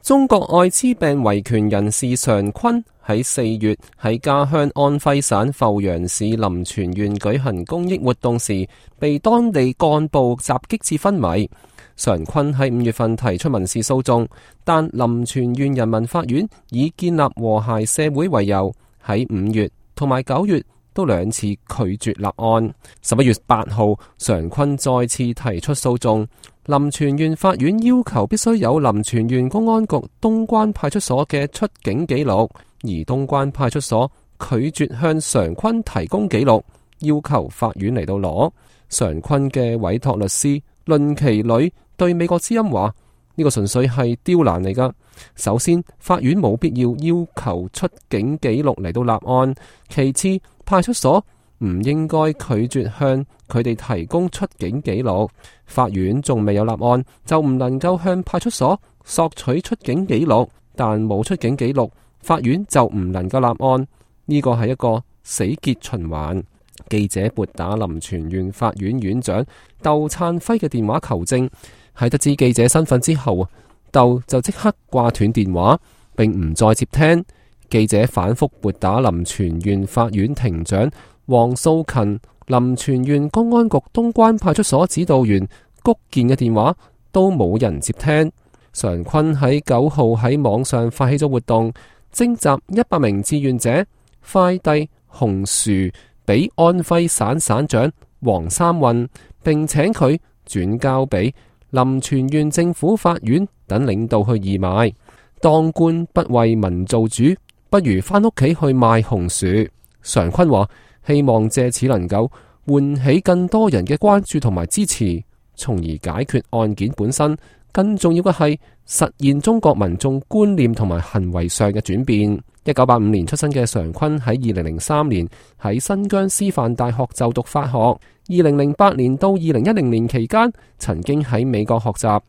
中國愛滋病維權人士常坤喺4月喺家鄉安徽省阜陽市臨泉縣舉行公益活動時，被當地幹部襲擊至昏迷。常坤喺5月份提出民事訴訟，但臨泉縣人民法院以建立和諧社會為由，喺5月同埋9月都2次拒絕立案。11月8號，常坤再次提出訴訟，臨泉縣法院要求必須有臨泉縣公安局東關派出所嘅出境記錄，而東關派出所拒絕向常坤提供記錄，要求法院嚟到攞。常坤嘅委託律師論其女對美國之音話：呢個純粹係刁難嚟噶。首先，法院冇必要要求出境記錄嚟到立案；其次，派出所唔應該拒絕向佢哋提供出境記錄。法院仲未有立案，就唔能夠向派出所索取出境記錄，但冇出境記錄，法院就唔能夠立案。呢個係一個死結循環。記者撥打臨泉縣法院院長竇燦輝嘅電話求證，喺得知記者身份之後，竇就即刻掛斷電話，並唔再接聽。記者反覆撥打臨泉縣法院庭長黃素勤、臨泉縣公安局東關派出所指導員谷健嘅電話，都冇人接聽。常坤喺9號喺網上發起咗活動，徵集100名志願者快遞紅薯俾安徽省省長黃三運，並請佢轉交俾臨泉縣政府法院等領導去義賣。當官不為民做主，不如返屋企去賣紅薯。常坤話希望借此能夠喚起更多人嘅關注同埋支持，從而解決案件本身。更重要嘅係實現中國民眾觀念同埋行為上嘅轉變。1985年出生嘅常坤喺2003年喺新疆師範大學就讀法學，2008年到2010年期間曾經喺美國學習，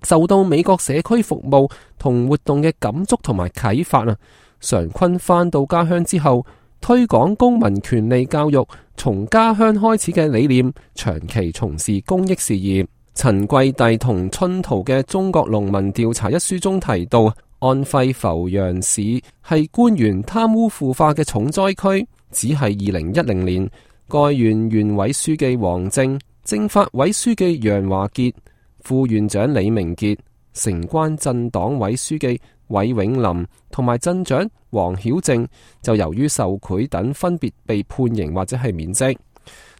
受到美國社區服務同活動嘅感觸同埋啟發啊。常坤返到家鄉之後，推廣公民權利教育從家鄉開始嘅理念，長期從事公益事業。陳桂棣同春濤嘅《中國農民調查》一書中提到，安徽阜陽市係官員貪污腐化嘅重災區。只係2010年，該縣縣委書記王政、政法委書記楊華傑、副縣長李明傑、城關鎮黨委書記韋永林同埋鎮長黃曉正，就由於受賄等分別被判刑或者係免職。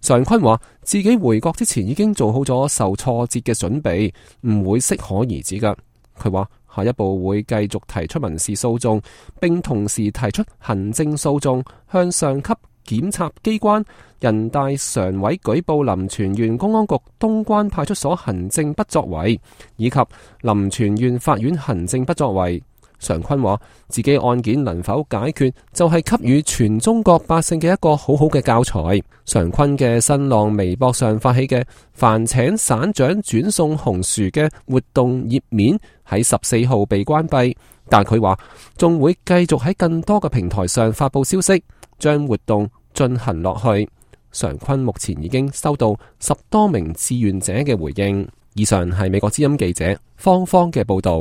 常坤話自己回國之前已經做好咗受挫折嘅準備，唔會適可而止噶。佢話下一步會繼續提出民事訴訟，並同時提出行政訴訟，向上級檢察機關、人大常委舉報臨泉縣公安局東關派出所行政不作為，以及臨泉縣法院行政不作為。常坤話自己案件能否解決，就係給予全中國百姓嘅一個好好嘅教材。常坤嘅新浪微博上發起嘅凡請省長轉送紅薯嘅活動頁面喺14號被關閉，但佢話仲會繼續喺更多嘅平台上發佈消息，將活動進行落去。常坤目前已經收到10多名志願者嘅回應。以上係美國之音記者方方嘅報道。